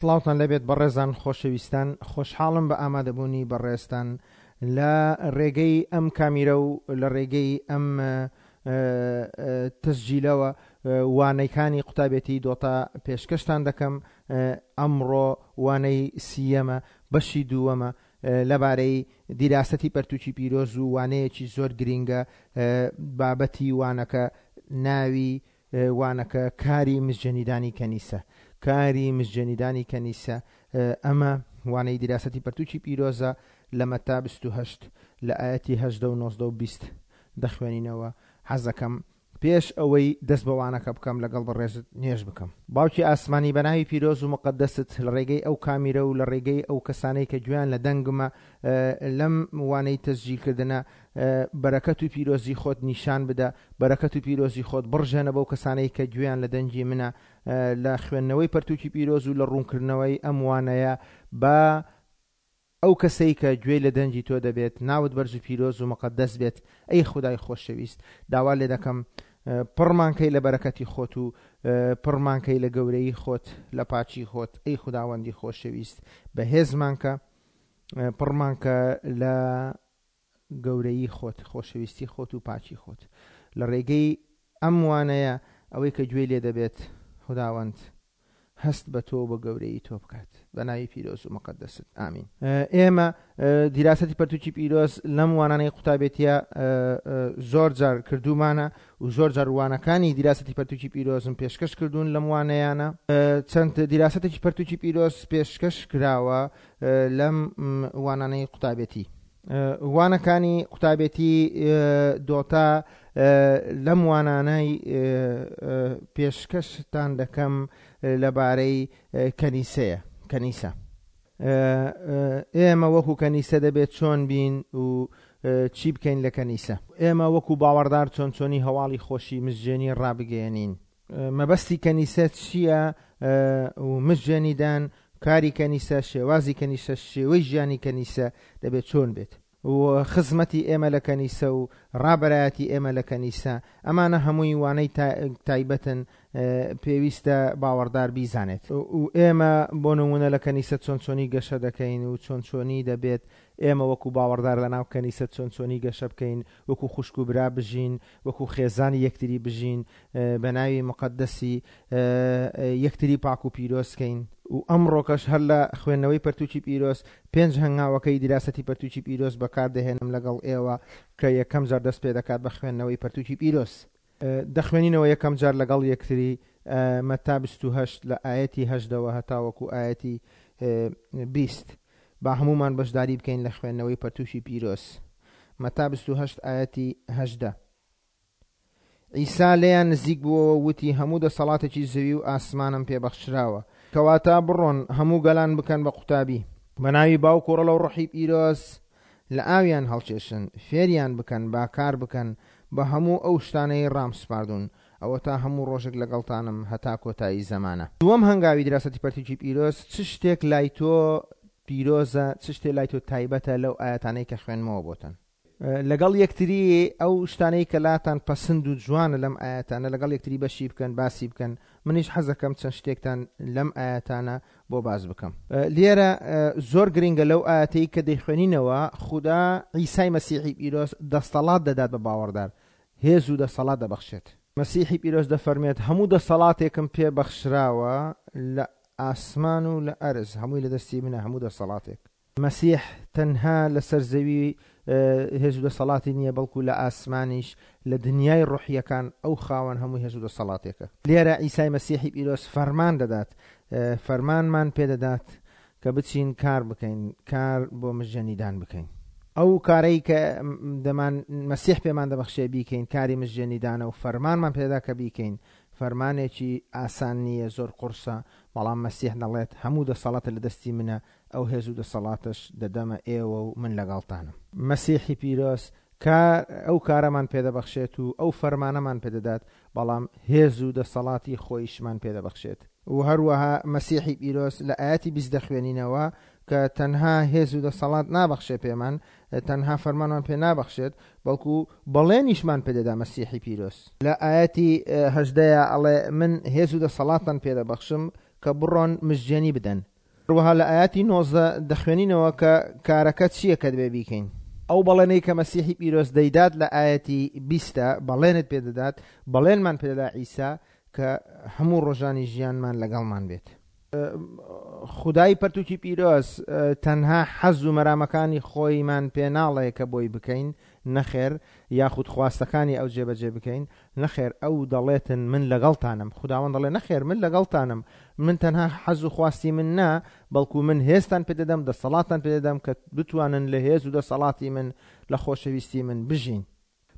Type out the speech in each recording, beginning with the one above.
سڵاوتان لێبێت بەڕێزان خۆشەویستان خۆشحاڵم بە ئامادەبوونی بەڕێزتان لە ڕێگەی ئەم کامیرە و لە ڕێگەی ئەم تەسجیلەوە وانەکانی قوتابێتی دۆتا پێشکەشتان دەکەم ئەمڕۆ وانەی سیەمە بەشی دووەمە لەبارەی دیراسەتی پەرتوکی پیرۆز و وانەیەکی زۆر گرینگە بابەتی وانەکە ناوی وانەکە کاری مزجەنیدانی کەنیسە کاری مزجەنیدانی کەنیسە ئەمە وانەی دیراسەتی پەرتوکی پیرۆزە لە مەتا 28 لە ئایەتی 18 و 19 و 20 دەخوێنینەوە حەزەکەم پێش ئەوەی دەست بە وانەکە بکەم لەگەڵ بەڕێزت نوێژ بکەم. باوکی ئاسمانی بە ناوی پیرۆز و موقەدەست لە ڕێگەی ئەو کامیرە و لە ڕێگەی ئەو کەسانەی کە گوێیان لە دەنگمە لەم وانەی تەسجیل کردنە بەرەکەت و پیرۆزی خۆت نیشان بدە، بەرەکەت و پیرۆزی خۆت بڕژێنە بەو کەسانەی کە گوێیان لە دەنگی منە لە خوێندنەوەی پەرتوکی پیرۆز و لە ڕوونکردنەوەی ئەم وانەیە با ئەو کەسەی کە گوێی لە دەنگی تۆ دەبێت ناوت بەرز و پیرۆز و مقەدەس بێت ئەی خودای خۆشەویست داوا لێ دەکەم پڕمان کەی لە بەرەکەتی خۆت و پڕمان کەی لە گەورەیی خۆت لە پاکی خۆت ئەی خوداوەندی خۆشەویست بەهێزمان کە پڕمان کە لە گەورەیی خۆت، خۆشەویستی خۆت و پاکی خۆت. لە ڕێگەی ئەم وانەیە ئەوەی کە گوێی لێ دەبێت خوداوەند هەست بە تۆ و بە گەورەیی تۆ بکات. بە ناوی پیرۆز و مقەدەست. ئامین. ئێمە دیراسەتی پەرتوکی پیرۆز لەم وانانەی قوتابێتیە زۆر جار کردوومانە و زۆر جار وانەکانی دیراسەتی پەرتوکی پیرۆزم پێشکەش کردوون لەم وانەیانە. چەند دیراسەتێکی پەرتوکی پیرۆز پێشکەش کراوە لەم وانانەی قوتابێتی. وانەکانی قوتابێتی دۆتا لەم وانانەی پێشکەشتان دەکەم لەبارەی کەنیسەیە کەنیسە ئێمە وەکو کەنیسە دەبێت چۆن بین و چی بکەین لە کەنیسە ئێمە وەکو باوەڕدار چۆن چۆنی هەواڵی خۆشی مزجێنی ڕابگەیەنین مەبەستی کەنیسە چییە و مزجێنیدان کاری کەنیسە، شێوازی کەنیسە، شێوەی ژیانی کەنیسە دەبێت چۆن بێت و خزمەتی ئێمە لە کەنیسە و ڕابەرایەتی ئێمە لە کەنیسە، ئەمانە هەمووی وانەی تایبەتن پێویستە باوەڕدار بیزانێت و ئێمە بۆ نموونە لە کەنیسە چۆن چۆنی گەشە دەکەین و چۆن چۆنی دەبێت ئێمە وەکو باوەڕدار لە ناو کەنیسە چۆن چۆنی گەشە بکەین، وەکو خوشک و برا بژین، وەکو خێزانی یەکتری بژین، بە ناوی موقەدەسی یەکتری پاک و پیرۆز کەین. و ئەمڕۆکەش هەر لە خوێندنەوەی پەرتوکی پیرۆز پێنج هەنگاوەکەی دیراسەتی پەرتوکی پیرۆز بەکار دەهێنم لەگەڵ ئێوە کە یەکەم جار دەست پێ دەکات بە خوێندنەوەی پەرتوکی پیرۆز. دەخوێنینەوە یەکەم جار لەگەڵ یەکتری مەتا 28 لە ئایەتی هەژدەوە هەتاوەکو ئایەتی 20. با هەموومان بەشداری بکەین لە خوێندنەوەی پەرتوکی پیرۆز. مەتا 28 ئایەتی 18. عیسا لێیان نزیک بووەوە و وتی، هەموو دەسەڵاتێکی زەوی و ئاسمانم پێ بەخشراوە. کەواتە بڕۆن، هەموو گەلان بکەن بە قوتابی. بە ناوی باوک و ڕۆڵە و ڕۆحی پیرۆز لە ئاویان هەڵکێشن، فێریان بکەن با کار بکەن بە هەموو ئەو شتانەی ڕامسپاردوون. ئەوەتا هەموو ڕۆژێک لەگەڵتانم هەتا کۆتایی زەمانە. دووەم هەنگاوی دراسەتی پەرتوکی پیرۆز، چ شتێک لای تۆ پیرۆزە، چ شتێ لای تۆ تایبەتە لەو ئایەتانەی کە خوێندمەوە بۆتان؟ لەگەڵ یەکتری ئەو شتانەی کە لاتان پەسند و جوانە لەم ئایەتانە لەگەڵ یەکتری بەشی بکەن باسی بکەن منیش حەزەکەم چەند شتێکتان لەم ئایەتانە بۆ باس بکەم لێرە زۆر گرنگە لەو ئایەتەی کە دەیخوێنینەوە خودا عیسای مەسیحی پیرۆز دەستەڵات دەدات بە باوەڕدار هێز و دەسەڵات دەبەخشێت مەسیحی پیرۆز دەفەرمێت هەموو دەسەڵاتێکم پێ بەخشراوە لە ئاسمان و لە ئەرز هەمووی لە دەستی منە هەموو دەسەڵاتێک مەسیح تەنها لەسەر زەوی هێز و دەسەڵاتی نییە، بەڵکو لە ئاسمانیش، لە دنیای ڕۆحییەکان ئەو خاوەن هەموو هێز و دەسەڵاتێکە. لێرە عیسای مەسیحی پیرۆز فەرمان دەدات، فەرمانمان پێدەدات کە بچین کار بکەین، کار بۆ مژێنیدان بکەین. ئەو کارەی کە دەمان مەسیح پێمان دەبەخشێ بیکەین، کاری مژێنیدانە و فەرمانمان پێدەدا کە بیکەین. فەرمانێکی ئاسان نییە، زۆر قوڕسە، بەڵام مەسیح دەڵێت هەموو دەسەڵاتە لە دەستی منە، ئەو هێز و دەسەڵاتەش دەدەمە ئێوە و من لەگەڵتانم. مەسیحی پیرۆز کار ئەو کارەمان پێدەبەخشێت و ئەو فەرمانەمان پێدەدات، بەڵام هێز و دەسەڵاتی خۆیشمان پێدەبەخشێت. و هەروەها مەسیحی پیرۆز لە ئایەتی 20 دەخوێنینەوە کە تەنها هێز و دەسەڵات نابەخشێ پێمان، تەنها فەرمانمان پێ نابەخشێت، بەڵکو بەڵێنیشمان پێدەدا مەسیحی پیرۆز. لە ئایەتی 18 ئەڵێ من هێز و دەسەڵاتتان پێدەبەخشم. کە بڕۆن مزگێنی بدەن. هەروەها لە ئایەتی 19 دەخوێنینەوە کە کارەکە چییە کە دەبێ بیکەین. ئەو بەڵێنەی کە مەسیحی پیرۆز دەیدات لە ئایەتی بیستە بەڵێنت پێدەدات، بەڵێنمان پێدەدا عیسا کە هەموو ڕۆژانی ژیانمان لەگەڵمان بێت. خودای پەرتوکی پیرۆز تەنها حەز و مەرامەکانی خۆیمان پێ ناڵێ کە بۆی بکەین، نەخێر، یاخود خواستەکانی ئەو جێبەجێ بکەین، نەخێر، ئەو دەڵێتن من لەگەڵتانم، خوداوەند دەڵێ نەخێر من لەگەڵتانم، من تەنها حەز و خواستی من نا، بەڵکو من هێزتان پێ دەدەم، دەسەڵاتتان پێ دەدەم کە بتوانن لە هێز و دەسەڵاتی من، لە خۆشەویستی من بژین.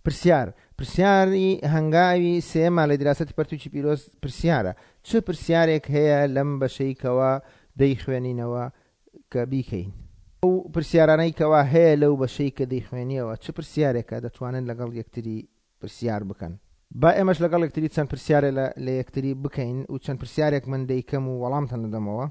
پرسیار، پرسیاری هەنگاوی سێیەممان لە دیراسەتی پەرتوکی پیرۆز پرسیارە، چ پرسیارێک هەیە لەم بەشەی کەوا دەیخوێنینەوە کە بیکەین؟ ئەو پرسیارانەی کەوا هەیە لەو بەشەی کە دەیخوێنیەوە چ پرسیارێکە دەتوانن لەگەڵ یەکتری پرسیار بکەن؟ با ئێمەش لەگەڵ یەکتری چەند پرسیارێ لە یەکتری بکەین و چەند پرسیارێک من دەیکەم و وەڵامتان دەدەمەوە.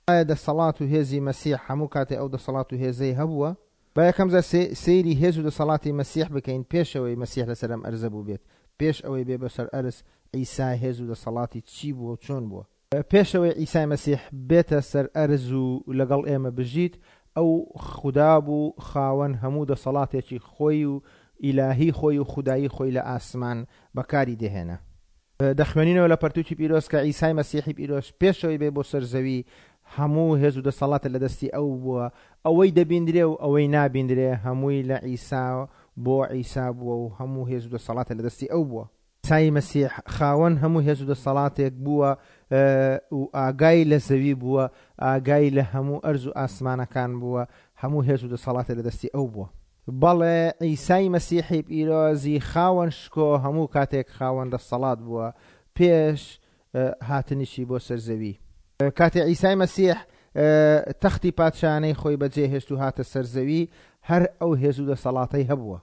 ئایا دەسەڵات و هێزی مەسیح هەموو کاتێ ئەو دەسەڵات و هێزەی هەبووە؟ با یەکەم جار سەیری هێز و دەسەڵاتی مەسیح بکەین پێش ئەوەی مەسیح لەسەر ئەم ئەرزە بووبێت، پێش ئەوەی بێ بەسەر ئەرز عیسا هێز و دەسەڵاتی چی بووە و چۆن بووە؟ پێش ئەوەی عیسای مەسیح بێتە سەر ئەرز و لەگەڵ ئێمە بژیت، ئەو خودا بوو خاوەن هەموو دەسەڵاتێکی خۆی و ئیلاهی خۆی و خودایی خۆی لە ئاسمان بەکاری دەهێنا. دەخوێنینەوە لە پەرتوکی پیرۆز کە عیسای مەسیحی پیرۆز پێش ئەوەی بێ بۆ سەر زەوی هەموو هێز و دەسەڵاتە لە دەستی ئەو بووە، ئەوەی دەبیندرێ و ئەوەی نابیندرێ هەمووی لە عیسا بۆ عیسا بووە و هەموو هێز و دەسەڵاتە لە دەستی ئەو بووە. عیسای مەسیح خاوەن هەموو هێز و دەسەڵاتێک بووە و ئاگای لە زەوی بووە، ئاگای لە هەموو ئەرز و ئاسمانەکان بووە، هەموو هێز و دەسەڵاتێ لە دەستی ئەو بووە. بەڵێ عیسای مەسیحی پیرۆزی خاوەن شکۆ هەموو کاتێک خاوەن دەسەڵات بووە پێش هاتنیشی بۆ سەر زەوی. کاتێ عیسای مەسیح تەختی پادشایانەی خۆی بەجێ هێشت و هاتە سەر زەوی هەر ئەو هێز و دەسەڵاتەی هەبووە.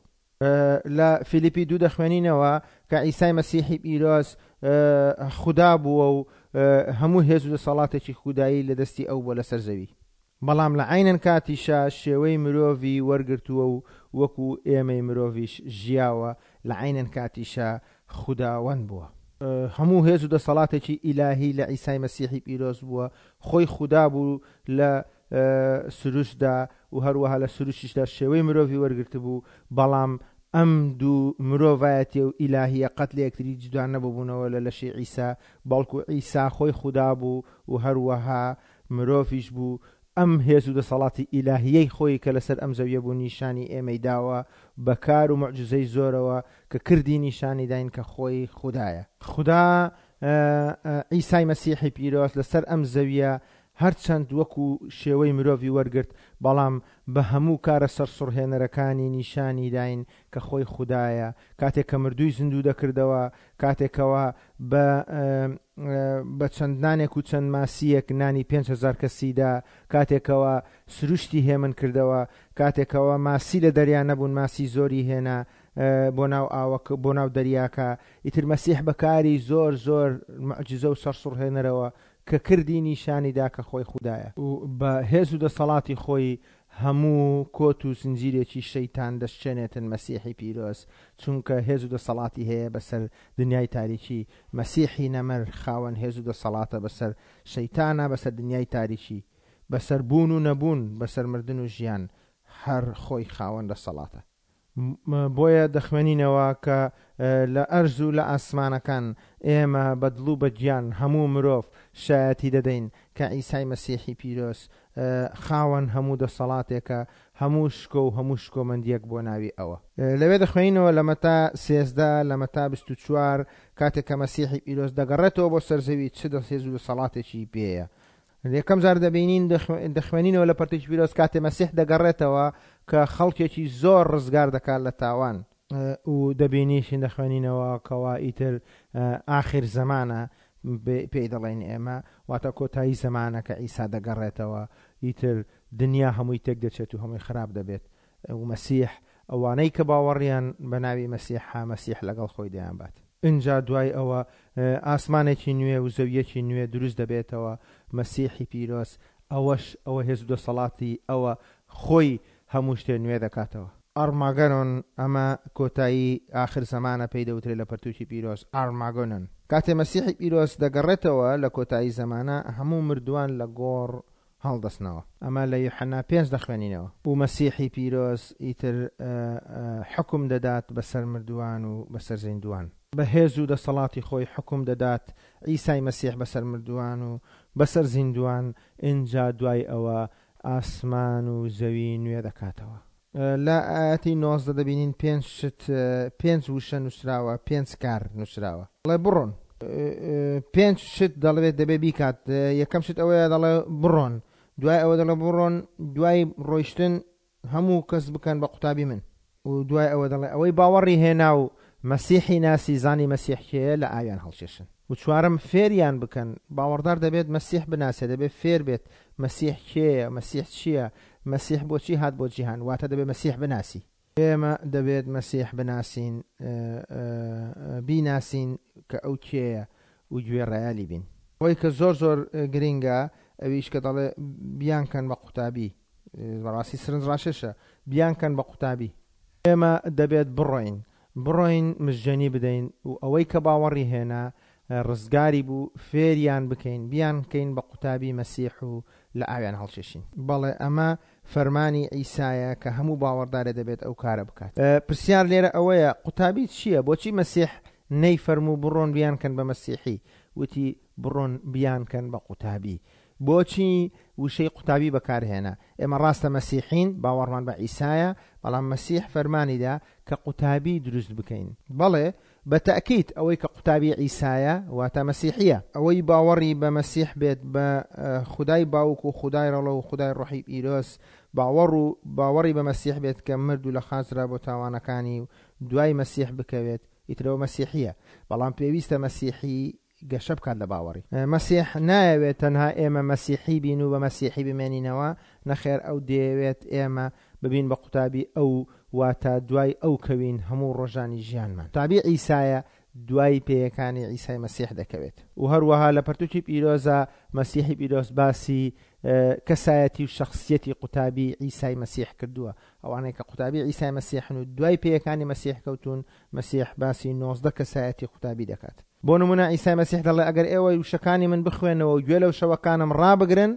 لە فیلیپی دوو دەخوێنینەوە کە عیسای مەسیحی پیرۆز خودا بووە و هەموو هێز و دەسەڵاتێکی خودایی لە دەستی ئەو بووە لەسەر زەوی. بەڵام لە عەینەن کاتیشا شێوەی مرۆڤی وەرگرتووە و وەکو ئێمەی مرۆڤیش ژیاوە، لە عەینەن کاتیشا خوداوەند بووە. هەموو هێز و دەسەڵاتێکی ئیلاهی لە عیسای مەسیحی پیرۆز بووە، خۆی خودا بوو لە سروشتدا و هەروەها لە سروشتیشدا شێوەی مرۆڤی وەرگرتبوو، بەڵام ئەم دوو مرۆڤایەتیە و ئیلاهیە قەت لە یەکتری جودا نەبووبوونەوە لە لەشی عیسا، بەڵکو عیسا خۆی خودا بوو و هەروەها مرۆڤیش بوو، ئەم هێز و دەسەڵاتی ئیلاهییەی خۆی کە لەسەر ئەم زەویە بوو نیشانی ئێمەی داوە بە کار و موعجیزەی زۆرەوە کە کردی نیشانی داین کە خۆی خودایە. خودا عیسای مەسیحی پیرۆز لەسەر ئەم زەویە هەرچەند وەکو شێوەی مرۆڤی وەرگرت بەڵام بە هەموو کارە سەرسوڕهێنەرەکانی نیشانی داین کە خۆی خودایە کاتێک کە مردووی زیندوو دەکردەوە کاتێک کەوا بە بە چەند نانێک و چەند ماسییەک نانی 5000 کەسی دا، کاتێکەوە سروشتی هێمن کردەوە، کاتێکەوە ماسی لە دەریا نەبوون ماسی زۆری هێنا بۆ ناو ئاوەکە بۆ ناو دەریاکە، ئیتر مەسیح بە کاری زۆر زۆر موعجیزە و سەرسوڕهێنەرەوە کە کردی نیشانی دا کە خۆی خودایە. و بە هێز و دەسەڵاتی خۆی هەموو کۆت و زنجیرێکی شەیتان دەشچێنێتن مەسیحی پیرۆز چونکە هێز و دەسەڵاتی هەیە بەسەر دنیای تاریکی مەسیحی نەمر خاوەن هێز و دەسەڵاتە بەسەر شەیتانا بەسەر دنیای تاریکی بەسەر بوون و نەبوون بەسەر مردن و ژیان هەر خۆی خاوەن دەسەڵاتە. بۆیە دەخوێنینەوە کە لە ئەرز و لە ئاسمانەکان ئێمە بە دڵ و بە گیان هەموو مرۆڤ شایەتی دەدەین کە عیسای مەسیحی پیرۆز خاوەن هەموو دەسەڵاتێکە، هەموو شکۆ و هەموو شکۆمەندییەک بۆ ناوی ئەوە. لەوێ دەخوێنینەوە لە مەتا 13، لە مەتا 24، کاتێک کە مەسیحی پیرۆز دەگەڕێتەوە بۆ سەر زەوی چ هێز و دەسەڵاتێکی پێیە. یەکەم جار دەبینین دەخوێنینەوە لە پەرتوکی پیرۆز کاتێ مەسیح دەگەڕێتەوە کە خەڵکێکی زۆر ڕزگار دەکات لە تاوان و دەبینیشین دەخوێنینەوە کەوا ئیتر ئاخر زەمانە پێی دەڵێین ئێمە واتە کۆتایی زەمانە کە عیسا دەگەڕێتەوە ئیتر دنیا هەمووی تێک دەچێت و هەمووی خراپ دەبێت و مەسیح ئەوانەی کە باوەڕیان بە ناوی مەسیحە مەسیح لەگەڵ خۆی دەیانبات. ئینجا دوای ئەوە ئاسمانێکی نوێ و زەوییەکی نوێ دروست دەبێتەوە، مەسیحی پیرۆز، ئەوەش ئەوە هێز و دەسەڵاتی ئەوە خۆی هەموو شتێ نوێ دەکاتەوە. ئارماگەنۆن، ئەمە کۆتایی ئاخر زەمانە پێی دەوترێ لە پەرتووکی پیرۆز، ئارماگۆنۆن. کاتێ مەسیحی پیرۆز دەگەڕێتەوە لە کۆتایی زەمانە، هەموو مردووان لە گۆڕ هەڵدەستنەوە. ئەمە لە یوحەنا پێنج دەخوێنینەوە. و مەسیحی پیرۆز ئیتر حوکم دەدات بەسەر مردووان و بەسەر زیندووان. بە هێز و دەسەڵاتی خۆی حوکم دەدات عیسای مەسیح بەسەر مردووان و بەسەر زیندووان، ئینجا دوای ئەوە ئاسمان و زەوی نوێ دەکاتەوە. لە ئایەتی 19 دەبینین پێنج شت، پێنج وشە نووسراوە، پێنج کار نووسراوە. دەڵێ بڕۆن. پێنج شت دەڵێت دەبێ بیکات. یەکەم شت ئەوەیە دەڵێ بڕۆن. دوای ئەوە دەڵێ بڕۆن، دوای ڕۆیشتن هەموو کەس بکەن بە قوتابی من. و دوای ئەوە دەڵێ ئەوەی باوەڕی هێنا و مەسیحی ناسی زانی مەسیح کێیە لە ئاویان هەڵکێشن. و چوارەم فێریان بکەن، باوەڕدار دەبێت مەسیح بناسێ، دەبێت فێر بێت مەسیح کێیە، مەسیح چییە، مەسیح بۆچی هات بۆ جیهان، واتە دەبێت مەسیح بناسی. ئێمە دەبێت مەسیح بناسین، بیناسین کە ئەو کێیە و گوێڕایەلی بین. ئەوەی کە زۆر زۆر گرینگە ئەویش کە دەڵێ بیانکەن بە قوتابی، بەڕاستی سرنجڕاکێشە، بیانکەن بە قوتابی. ئێمە دەبێت بڕۆین، بڕۆین مژجێنی بدەین و ئەوەی کە باوەڕی هێنا ڕزگاری بوو فێریان بکەین، بیانکەین بە قوتابی مەسیح و لە ئاویان هەڵکێشین. بەڵێ ئەمە فەرمانی عیسایە کە هەموو باوەڕدارێ دەبێت ئەو کارە بکات. پرسیار لێرە ئەوەیە قوتابی چییە؟ بۆچی مەسیح نەیفەرموو بڕۆن بیانکەن بە مەسیحی؟ وتی بڕۆن بیانکەن بە قوتابی. بۆچی وشەی قوتابی بەکارهێنا؟ ئێمە ڕاستە مەسیحین، باوەڕمان بە عیسایە، بەڵام مەسیح فەرمانی دا کە قوتابی دروست بکەین. بەڵێ، بە تەئکید ئەوەی کە قوتابی عیسایە، واتە مەسیحییە. ئەوەی باوەڕی بە مەسیح بێت، بە خودای باوک و خودای ڕەڵە و خودای ڕۆحی پیرۆز باوەڕ و باوەڕی بە مەسیح بێت کە مرد و لە خاچ درا بۆ تاوانەکانی و دوای مەسیح بکەوێت، ئیتر ئەوە مەسیحییە. بەڵام پێویستە مەسیحی گەشە بکات لە باوەڕی. مەسیح نایەوێت تەنها ئێمە مەسیحی بین و بە مەسیحی بمێنینەوە، نەخێر ئەو دەیەوێت ئێمە ببین بە قوتابی ئەو، واتە دوای ئەو کەوین هەموو ڕۆژانی ژیانمان. قوتابی عیسایە دوای پێیەکانی عیسای مەسیح دەکەوێت. و هەروەها لە پەرتوکی پیرۆزا مەسیحی پیرۆز باسی کەسایەتی و شەخسیەتی قوتابی عیسای مەسیح کردووە. ئەوانەی کە قوتابی عیسای مەسیحن و دوای پێیەکانی مەسیح کەوتوون، مەسیح باسی 19 کەسایەتی قوتابی دەکات. بۆ نموونە عیسای مەسیح دەڵێ ئەگەر ئێوە وشەکانی من بخوێنەوە و گوێ لە وشەوەکانم ڕابگرن،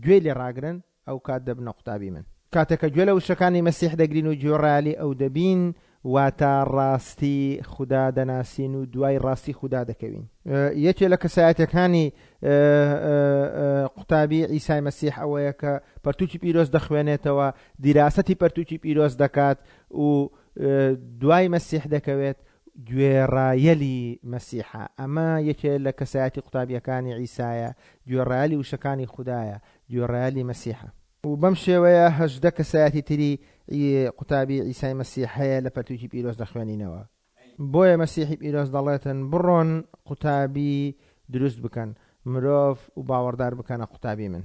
گوێی لێ ڕاگرن، ئەو کات دەبنە قوتابی من. کاتێک کە گوێ لە وشەکانی مەسیح دەگرین و گوێڕایەلی ئەو دەبین، واتە ڕاستی خودا دەناسین و دوای ڕاستی خودا دەکەوین. یەکێ لە کەسایەتیەکانی قوتابی عیسای مەسیح ئەوەیە کە پەرتوکی پیرۆز دەخوێنێتەوە، دیراسەتی پەرتوکی پیرۆز دەکات و دوای مەسیح دەکەوێت، گوێڕایەلی مەسیحە. ئەمە یەکێ لە کەسایەتی قوتابیەکانی عیسایە، گوێڕایەلی وشەکانی خودایە، گوێڕایەلی مەسیحە. و بەم شێوەیە 18 کەسایەتی تری قوتابی عیسای مەسیح هەیە لە پەرتوکی پیرۆز دەخوێنینەوە. بۆیە مەسیحی پیرۆز دەڵێتن بڕۆن قوتابی دروست بکەن، مرۆڤ و باوەڕدار بکەنە قوتابی من.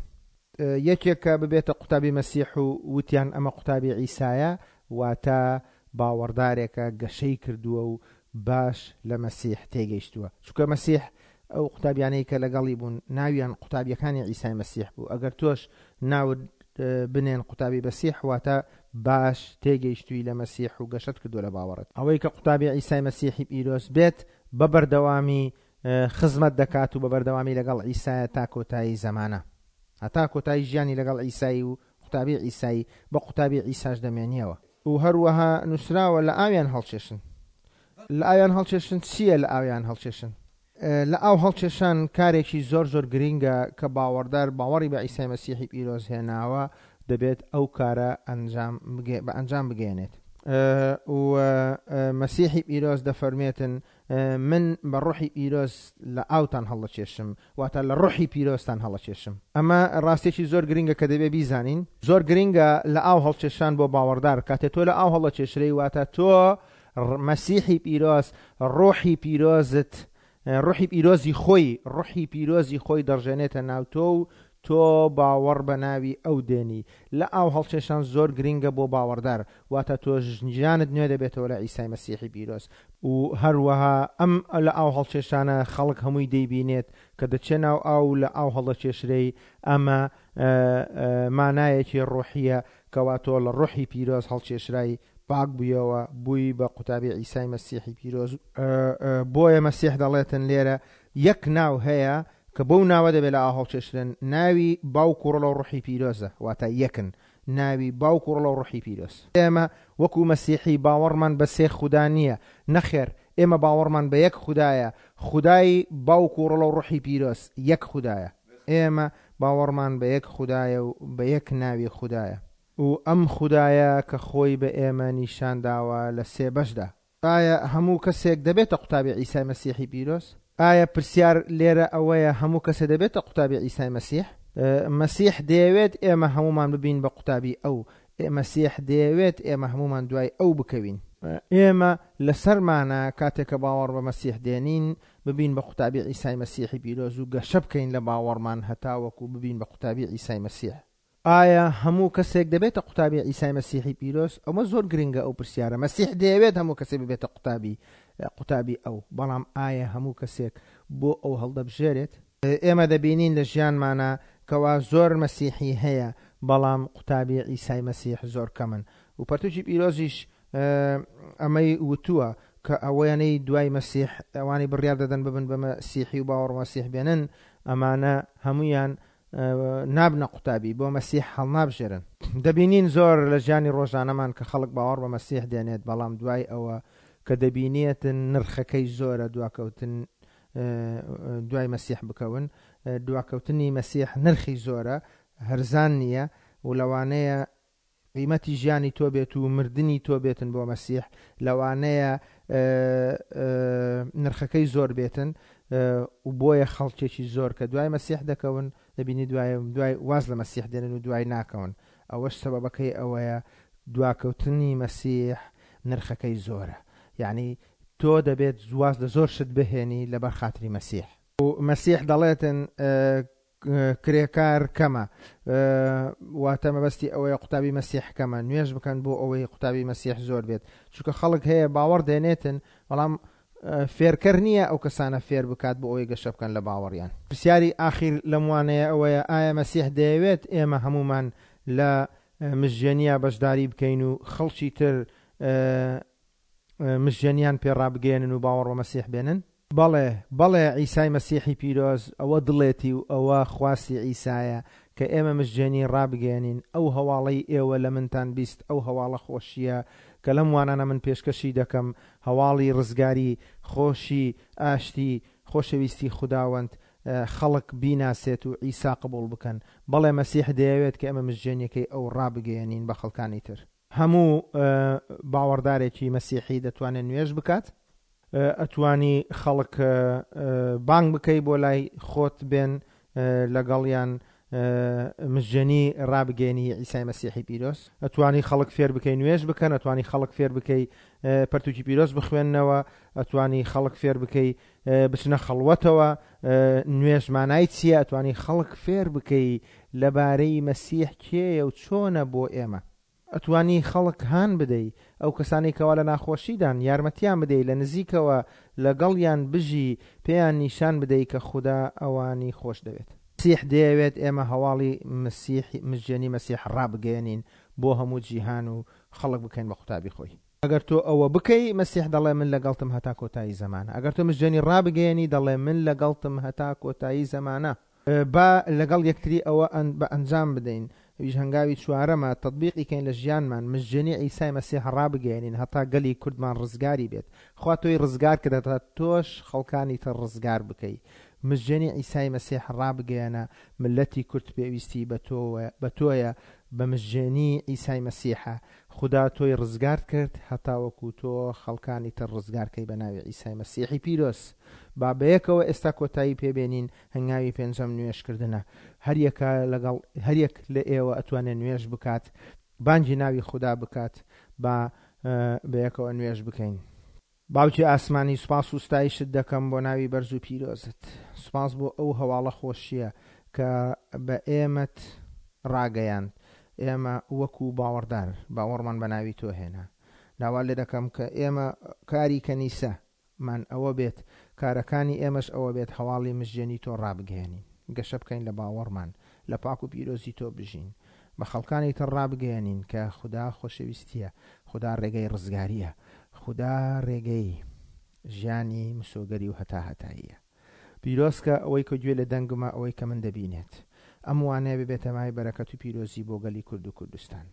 یەکێک کە ببێتە قوتابی مەسیح و وتیان ئەمە قوتابی عیسایە، واتە باوەڕدارێکە گەشەی کردووە و باش لە مەسیح تێگەیشتووە. چونکە مەسیح ئەو قوتابیانەی کە لەگەڵی بوون ناویان قوتابیەکانی عیسای مەسیح بوو. ئەگەر تۆش ناوت بنێن قوتابی مەسیح، واتە باش تێگەیشتووی لە مەسیح و گەشەت کردووە لە باوەڕت. ئەوەی کە قوتابی عیسای مەسیحی پیرۆز بێت بە بەردەوامی خزمەت دەکات و بە بەردەوامی لەگەڵ عیسایە تا کۆتایی زەمانە. هەتا کۆتایی ژیانی لەگەڵ عیسایی و قوتابی عیسایی بە قوتابی عیساش دەمێنیەوە. و هەروەها نووسراوە لە ئاویان هەڵکێشن. لە ئاویان هەڵکێشن چییە لە ئاویان هەڵکێشن؟ لە ئاو هەڵکێشان کارێکی زۆر زۆر گرینگە کە باوەڕدار باوەڕی بە عیسای مەسیحی پیرۆز هێناوە دەبێت ئەو کارە ئەنجام بە ئەنجام بگەیەنێت. و مەسیحی پیرۆز دەفەرمێتن من بە ڕۆحی پیرۆز لە ئاوتان هەڵدەکێشم، واتە لە ڕۆحی پیرۆزتان هەڵەکێشم. ئەمە ڕاستیەکی زۆر گرنگە کە دەبێ بیزانین. زۆر گرنگە لە ئاو هەڵکێشان بۆ باوەڕدار. کاتێ تۆ لە ئاو هەڵدەکێشرێی، واتە تۆ مەسیحی پیرۆز، ڕۆحی پیرۆزت، ڕۆحی پیرۆزی خۆی، ڕۆحی پیرۆزی خۆی دەڕژێنێتە ناو تۆ و تۆ باوەڕ بە ناوی ئەو دێنی. لە ئاو هەڵکێشان زۆر گرنگە بۆ باوەڕدار، واتە تۆ ژیانت نوێ دەبێتەوە لە عیسای مەسیحی پیرۆز. و هەروەها ئەم لە ئاو هەڵکێشانە خەڵک هەمووی دەیبینێت کە دەچێ ناو ئاو و لە ئاو هەڵدەکێشرێی، ئەمە مانایەکی ڕۆحییە کەوا تۆ لە ڕۆحی پیرۆز هەڵکێشرای. پاک بوویەوە، بووی بە قوتابی عیسای مەسیحی پیرۆز. بۆیە مەسیح دەڵێتن لێرە یەک ناو هەیە کە بەو ناوە دەبێت لە ئاو هەڵکێشرێن، ناوی باوک و ڕۆڵە و ڕۆحی پیرۆزە، واتە یەکن، ناوی باوک و ڕۆڵە و ڕۆحی پیرۆز. ئێمە وەکو مەسیحی باوەڕمان بە سێ خودا نییە، نەخێر، ئێمە باوەڕمان بە یەک خودایە، خودای باوک و ڕۆڵە و ڕۆحی پیرۆز، یەک خودایە. ئێمە باوەڕمان بە یەک خودایە و بە یەک ناوی خودایە. و ئەم خودایە کە خۆی بە ئێمە نیشان داوە لە سێ بەشدا. ئایا هەموو کەسێک دەبێتە قوتابی عیسای مەسیحی پیرۆز؟ ئایا پرسیار لێرە ئەوەیە هەموو کەسێ دەبێتە قوتابی عیسای مەسیح؟ مەسیح دەیەوێت ئێمە هەموومان ببین بە قوتابی ئەو. مەسیح دەیەوێت ئێمە هەموومان دوای ئەو بکەوین. ئێمە لەسەرمانە کاتێک کە باوەڕ بە مەسیح دێنین ببین بە قوتابی عیسای مەسیحی پیرۆز و گەشە بکەین لە باوەڕمان هەتاوەکو ببین بە قوتابی عیسای مەسیح. ئایا هەموو کەسێک دەبێتە قوتابی عیسای مەسیحی پیرۆز؟ ئەوە زۆر گرنگە ئەو پرسیارە. مەسیح دەیەوێت هەموو کەسێک ببێتە قوتابی قوتابی ئەو، بەڵام ئایا هەموو کەسێک بۆ ئەو هەڵدەبژێرێت؟ ئێمە دەبینین لە ژیانمانا کەوا زۆر مەسیحی هەیە بەڵام قوتابی عیسای مەسیح زۆر کەمن و پەرتوکی پیرۆزیش ئەمەی وتووە کە ئەوەیانەی دوای مەسیح ئەوانەی بڕیار دەدەن ببن بە مەسیحی و باوەڕ مەسیح بێنن ئەمانە هەموویان نابنە قوتابی، بۆ مەسیح هەڵنابژێرن. دەبینین زۆر لە ژیانی ڕۆژانەمان کە خەڵک باوەڕ بە مەسیح دێنێت، بەڵام دوای ئەوە کە دەبینێتن نرخەکەی زۆرە دواکەوتن دوای مەسیح بکەون، دواکەوتنی مەسیح نرخی زۆرە، هەرزان نییە و لەوانەیە قیمەتی ژیانی تۆ بێت و مردنی تۆ بێتن بۆ مەسیح، لەوانەیە نرخەکەی زۆر بێتن و بۆیە خەڵکێکی زۆر کە دوای مەسیح دەکەون دەبینی دوای دوای واز لە مەسیح دێنن و دوای ناکەون، ئەوەش سەبەبەکەی ئەوەیە دواکەوتنی مەسیح نرخەکەی زۆرە، یعنی تۆ دەبێت واز لە زۆر شت بهێنی لەبەر خاتری مەسیح. و مەسیح دەڵێتن کرێکار کەمە واتە مەبەستی ئەوەیە قوتابی مەسیح کەمە، نوێژ بکەن بۆ ئەوەی قوتابی مەسیح زۆر بێت، چونکە خەڵک هەیە باوەڕ دێنێتن بەڵام فێرکەر نییە ئەو کەسانە فێر بکات بۆ ئەوەی گەشە بکەن لە باوەڕیان. پرسیاری ئاخیر لەم وانەیە ئەوەیە ئایا مەسیح دەیەوێت ئێمە هەموومان لە مژێنیا بەشداری بکەین و خەڵکی تر مژێنیان پێ ڕابگەیەنن و باوەڕ بە مەسیح بێنن؟ بەڵێ، بەڵێ عیسای مەسیحی پیرۆز ئەوە دڵێتی و ئەوە خواستی عیسایە کە ئێمە مژدێنی ڕابگەیەنین، ئەو هەواڵەی ئێوە لە منتان بیست ئەو هەواڵە خۆشییە کە لەم وانانە من پێشکەشی دەکەم، هەواڵی ڕزگاری، خۆشی، ئاشتی، خۆشەویستی خوداوەند، خەڵک بیناسێت و عیسا قبوڵ بکەن. بەڵێ مەسیح دەیەوێت کە ئێمە مژدێنیەکەی ئەو ڕابگەیەنین بە خەڵکانی تر. هەموو باوەڕدارێکی مەسیحی دەتوانێت نوێژ بکات. ئەتوانی خەڵک بانگ بکەی بۆ لای خۆت بێن لەگەڵیان مژێنی ڕابگەێنی عیسای مەسیحی پیرۆز. ئەتوانی خەڵک فێر بکەی نوێژ بکەن، ئەتوانی خەڵک فێر بکەی پەرتوکی پیرۆز بخوێننەوە، ئەتوانی خەڵک فێر بکەی بچنە خەڵوەتەوە، نوێژ مانای چییە، ئەتوانی خەڵک فێر بکەی لەبارەی مەسیح کێیە و چۆنە بۆ ئێمە. ئەتوانی خەڵک هان بدەی، ئەو کەسانەی کەوا لە ناخۆشیدان، یارمەتیان بدەی، لە نزیکەوە لەگەڵیان بژی، پێیان نیشان بدەی کە خودا ئەوانی خۆش دەوێت. مەسیح دەیەوێت ئێمە هەواڵی مەسیح، مژێنی مەسیح ڕابگەیەنین بۆ هەموو جیهان و خەڵک بکەین بە قوتابی خۆی. ئەگەر تۆ ئەوە بکەی، مەسیح دەڵێ من لەگەڵتم هەتا کۆتایی زەمانە. ئەگەر تۆ مژێنی ڕابگەیەنی، دەڵێ من لەگەڵتم هەتا کۆتایی زەمانە. با لەگەڵ یەکتری ئەوە بە ئەنجام بدەین، ئەویش هەنگاوی چوارەمە، تەتبیقی کەین لە ژیانمان، مژدێنی عیسای مەسیح ڕابگەیەنین هەتا گەلی کوردمان ڕزگاری بێت. خوا تۆی ڕزگار کرد هەتا تۆش خەڵکانی تر ڕزگار بکەی. مژدێنی عیسای مەسیح ڕابگەیەنە، مللەتی کورد پێویستی بە بە تۆیە، بە مژدێنی عیسای مەسیحە. خودا تۆی ڕزگارت کرد هەتاوەکو تۆ خەڵکانی تر ڕزگار کەی بە ناوی عیسای مەسیحی پیرۆز. با بەیەکەوە ئێستا کۆتایی پێ بێنین، هەنگاوی پێنجەم نوێژ کردنە. هەریەکە لەگەڵ هەریەک لە ئێوە ئەتوانێ نوێژ بکات، بانگی ناوی خودا بکات، با بەیەکەوە نوێژ بکەین. باوکی ئاسمانی سوپاس و ستایشت دەکەم بۆ ناوی بەرز و پیرۆزت. سوپاس بۆ ئەو هەواڵە خۆشییە کە بە ئێمەت ڕاگەیاند. ئێمە وەکو باوەڕدار باوەڕمان بە ناوی تۆ هێنا. داوات لێ دەکەم کە ئێمە کاری کەنیسە مان ئەوە بێت، کارەکانی ئێمەش ئەوە بێت هەواڵی مژدێنی تۆ ڕابگەیەنین، گەشە بکەین لە باوەڕمان، لە پاک و پیرۆزی تۆ بژین، بە خەڵکانی تر ڕابگەیەنین کە خودا خۆشەویستییە. خودا ڕێگەی ڕزگارییە. خودا ڕێگەی ژیانی مسۆگەری و هەتاهەتاییە. پیرۆز کە ئەوەی کە گوێ لە دەنگمە ئەوەی کە من دەبینێت. ئەم وانەیە ببێتە مایەی بەرەکەت و پیرۆزی بۆ گەلی کورد و کوردستان.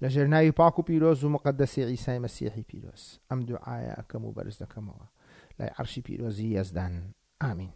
لە ژێر ناوی پاک و پیرۆز و موقەدەسی عیسای مەسیحی پیرۆز ئەم دوعایە ئەکەم و بەرز دەکەمەوە لای عەرشی پیرۆزی یەزدان. ئامین.